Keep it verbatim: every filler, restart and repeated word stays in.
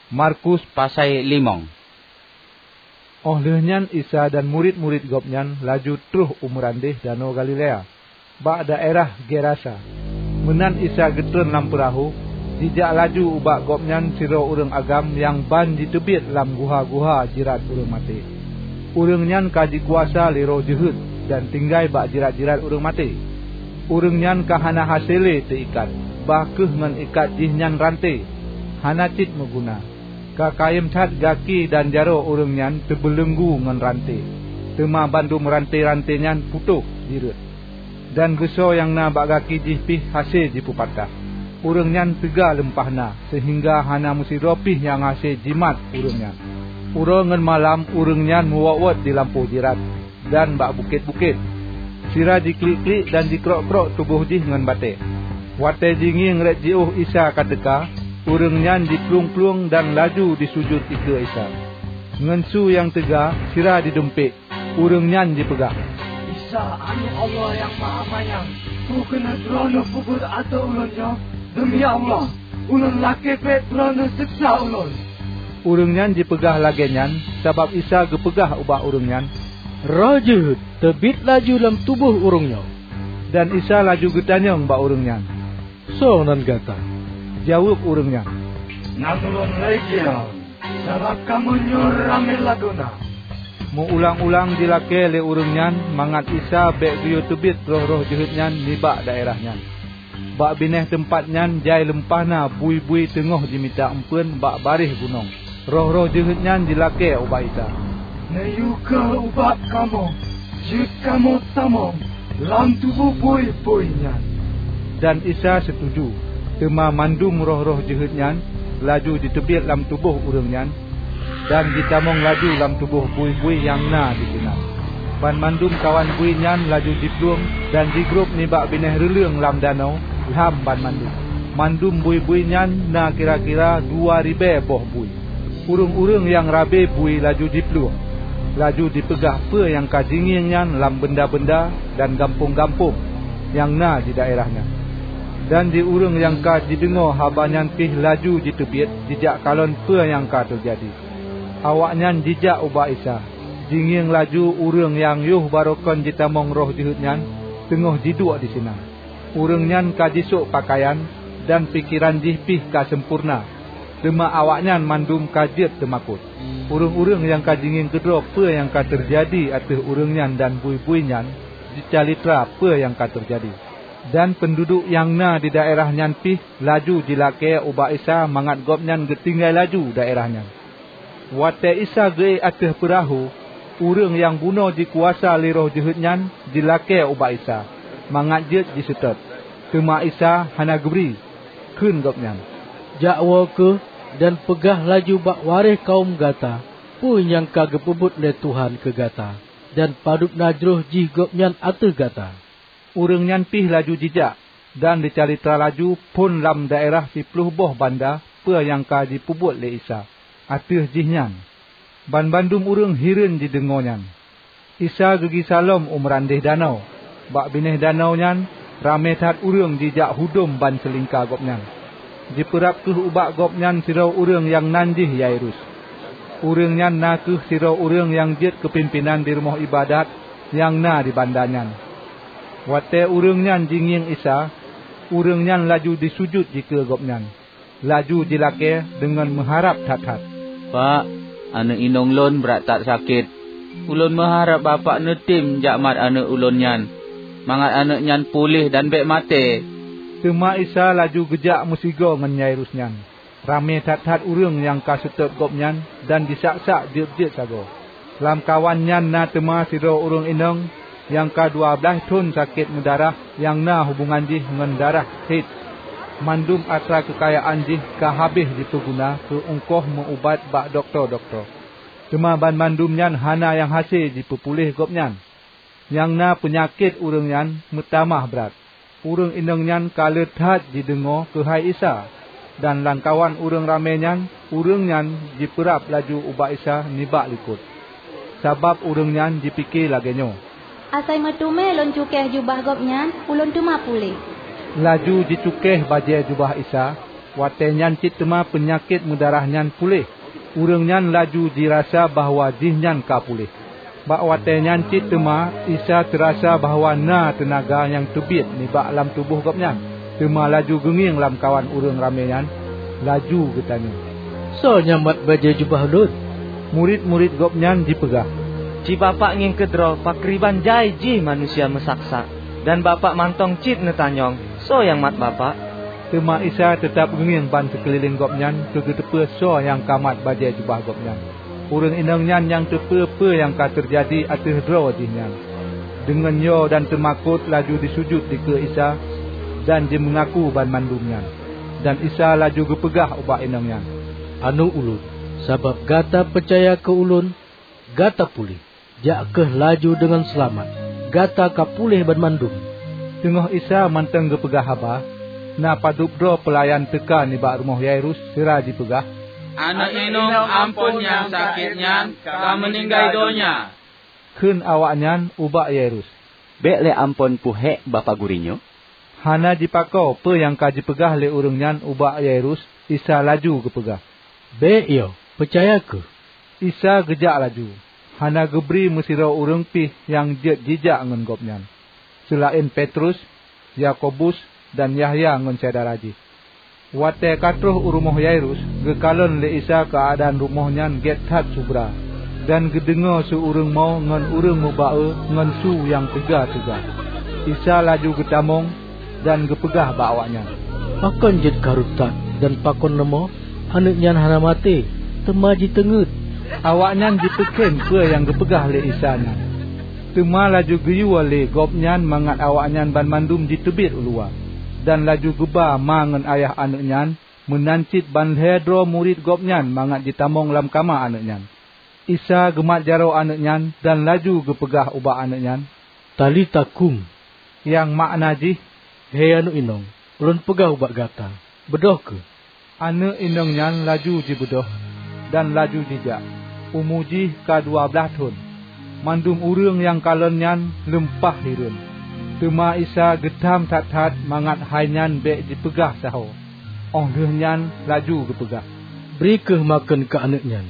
Markus pasai limong. Óh lheueh nyan Isa dan murit-murit Gobnyan laju troh u meurandeh Danau Galilea, bak daerah Gerasa. Meunan Isa geutreun lam peurahô, jijak laju ubak Gobnyan sidroe ureuëng agam nyang ban jiteubiet lam guha-guha jirat ureuëng maté. Ureuëng nyan ka jikuasa lé roh jeuhet dan tinggai bak jirat-jirat ureuëng maté. Ureuëng nyan ka hana hase lé teuikat, bah kheueh ngon ikat jih nyan ranté, hana cit meuguna. Ka kayém that gaki dan jaroe ureuëng nyan teubeuleuenggu ngon ranté, teuma bandum ranté-ranté nyan putôh jireuet. Dan geusoe nyang na bak gaki jih pih hase jipeupatáh. Ureuëng nyan teuga leumpah na, seuhingga hana meusidroe pih nyang hase jimat ureuëng nyan. Uroe ngon malam ureuëng nyan meuwot-wot di lampôh jirat dan bak bukét-bukét. Sira jiklik-klik dan jikrok-krok tuboh jih ngon batée. Watée jingieng rot jiôh Isa ka teuka, ureuëng nyan jiplueng-plueng dan laju disujut dikeue Isa. Ngon su nyang teuga sira jidumpék, ureuëng nyan jipeugah, "Isa, Aneuëk Allah Nyang Mahamanyang, peu keuneuk Droeneueh peubuet ateueh ulôn nyoe? Demi Allah, ulôn lakée bék Droeneueh seuksa ulôn!" Ureuëng nyan jipeugah lagée nyan sabab Isa geupeugah ubak ureuëng nyan, "Roh jeuhet teubiet laju lam tuboh ureuëng nyoe." Dan Isa laju geutanyong bak ureuëng nyan, "Soe nan gata?" Jaweueb ureuëng nyan, "Nan ulôn Legion, sabab kamoe nyoe ramé lagoena." Meu-ulang-ulang jilakée lé ureuëng nyan mangat Isa bék geuyue teubiet roh-roh jeuhet nyan nibak daerah nyan. Bak binéh teumpat nyan jai leumpah na bui-bui teungoh jimita eumpeuen bak baréh gunong. Roh-roh jeuhet nyan jilakée ubak Isa, "Neuyue kheueh ubak kamoe, jeuet kamoe tamong lam tuboh bui-bui nyan." Dan Isa seutuju. Teuma mandum roh-roh jeuhet nyan laju jiteubiet lam tuboh ureuëng nyan, dan jitamong laju lam tuboh bui-bui nyang na disinan. Banmandum kawan bui nyan laju jiplueng dan jigrob nibak binéh reuleueng lam danau lham banmandum. Mandum bui-bui nyan na kira-kira dua ribée boh bui. Ureuëng-ureuëng nyang rabe bui laju jiplueng, laju jipeugah peue nyang ka jingieng nyan lam banda-banda dan gampông-gampông nyang na di daerah nyan. Dan di ureuëng nyang ka jideungoe haba nyan pih laju jiteubiet jijak kalon peue nyang ka teujadi. Awaknyan jijak ubak Isa, jingieng laju ureuëng nyang yoh baroe kon jitamong roh jeuhet nyan teungoh jiduek disinan. Ureuëng nyan ka jisôk peukayan dan pikeran jih pih ka sampoereuna, teuma awaknyan mandum ka jeuet teumakot. Ureuëng-ureuëng nyang ka jingieng keudroe peue nyang ka teujadi ateueh ureuëng nyan dan bui-bui nyan jicalitra peue nyang ka teujadi. Dan peunduduek nyang na di daerah nyan pih laju jilakée ubak Isa mangat Gobnyan geutinggai laju daerah nyan. Watée Isa geuék ateueh peurahô, ureuëng nyang bunoe jikuasa lé roh jeuhet nyan jilakée ubak Isa mangat jeuet jiseutôt. Teuma Isa hana geubri. Kheun Gobnyan, "Jak woe kheueh dan peugah laju bak waréh kawöm gata peue nyang ka geupeubuet lé Tuhan keu gata, dan padub na jroh jih Gobnyan ateueh gata." Ureuëng nyan pih laju jijak dan jicalitra laju phon lam daerah siploh boh banda peue nyang ka jipeubuet lé Isa ateueh jih nyan. Banmandum ureuëng hireuen jideungoe nyan. Isa geugisa lom u meurandeh danau. Bak binéh danau nyan ramé that ureuëng jijak hudom ban seulingka Gobnyan. Jipeurab kheueh ubak Gobnyan sidroe ureuëng nyang nan jih Yairus. Ureuëng nyan na kheueh sidroe ureuëng nyang jeuet keu pimpénan di rumoh iébadat nyang na di banda nyan. Watée ureuëng nyan jingieng Isa, ureuëng nyan laju jisujut dikeue Gobnyan, laju jilakée deungon meuharab that-that, "Pak, aneuëk inong lôn brat that sakét. Ulôn meuharab Bapak neutem jak mat aneuëk ulôn nyan, mangat aneuëk nyan puléh dan bék maté." Teuma Isa laju geujak meusigoe ngon Yairus nyan. Ramé that-that ureuëng nyang ka seutôt Gobnyan dan jisak-sak jeuet-jeuet sagoe. Lamkawan nyan na teuma sidroe ureuëng inong nyang ka dua blaih thon sakét meudarah nyang na hubongan jih ngon darah hét. Mandum atra keukayaan jih ka habéh jipeuguna keu ungkoh meu-ubat bak dokto-dokto. Teuma banmandum nyan hana nyang hase jipeupuléh gobnyan. Nyang na peunyakét ureuëng nyan meutamah brat. Ureuëng inong nyan ka le that jideungoe keuhai Isa, dan lamkawan ureuëng ramé nyan, ureuëng nyan jipeurab laju ubak Isa nibak likot, sabab ureuëng nyan jipike lagée nyoe, "Asai meuteumé lôn cukéh jubah Gobnyan, ulôn teuma puléh." Laju jicukéh bajée jubah Isa, Watée nyan cit teuma peunyakét meudarah nyan puléh. Ureuëng nyan laju jirasa bahwa jihnyan ka puléh. Bak watée nyan cit teuma Isa teurasa bahwa na teunaga nyang teubiet nibak lam tuboh Gobnyan, teuma laju geungieng lamkawan ureuëng ramé nyan, laju geutanyong, "Soe nyang mat bajée jubah Ulôn?" Murit-murit Gobnyan jipeugah, "Ci Bapak ngieng keudroe pakriban jai jih manusia meusaksak, dan Bapak mantong cit neutanyong, 'Soe nyang mat Bapak?'" Teuma Isa teutab geungieng ban sikeulileng Gobnyan keu geuteupeue soe nyang ka mat bajée jubah Gobnyan. Ureuëng inong nyan nyang teupeue peue nyang ka teujadi ateueh droe jihnyan. Deungon yo dan teumakot laju jisujut dikeue Isa dan jimeungaku banmandum nyan. Dan Isa laju geupeugah ubak inong nyan, "Aneuëk Ulôn, sabab gata peucaya keu Ulôn, gata puléh. Jak kheueh laju deungon seulamat. Gata ka puléh banmandum." Teungoh Isa mantong geupeugah haba, na padub droe peulayan teuka nibak rumoh Yairus sira jipeugah, "Aneuëk inong amphon nyang sakét nyan ka meuninggai donya." Kheun awaknyan ubak Yairus, "Bék lé amphon peuhék Bapak Gurée nyoe." Hana jipakoe peue nyang ka jipeugah lé ureuëng nyan ubak Yairus, Isa laju geupeugah, "Bék yo, peucaya kheueh." Isa geujak laju, hana geubri meusidroe ureuëng pih nyang jeuet jijak ngon Gobnyan, seulaén Petrus, Yakobus, dan Yahya ngon syedara jih. Watée ka troh u rumoh Yairus, geukalon lé Isa keuadaan rumoh nyan gét that subra, dan geudeungoe su ureuëng mo ngon ureuëng meuba-e ngon su nyang teuga-teuga. Isa laju geutamong dan geupeugah bak awaknyan, "Pakon jeuet karu that, dan pakon leumo? Aneuëk nyan hana maté, teuma jiteungét." Awaknyan jipeukém peue nyang geupeugah lé Isa nyan. Teuma laju geuyue lé Gobnyan mangat awaknyan banmandum jiteubiet u luwa, dan laju geuba ma ngon ayah aneuëk nyan, meunan cit ban lhée droe murit Gobnyan mangat jitamong lam kama aneuëk nyan. Isa geumat jaroe aneuëk nyan dan laju geupeugah ubak aneuëk nyan, "Talita kum," nyang makna jih, "He aneuëk inong, Ulôn peugah ubak gata, beudôh kheueh!" Aneuëk inong nyan laju jibeudôh dan laju jijak. Umu jih ka dua blaih thon. Mandum ureuëng nyang kalon nyan leumpah hireuen. Teuma Isa geutham that-that mangat hai nyan bék jipeugah sahoe. Óh lheueh nyan laju geupeugah, "Bri kheueh makheun keu aneuëk nyan."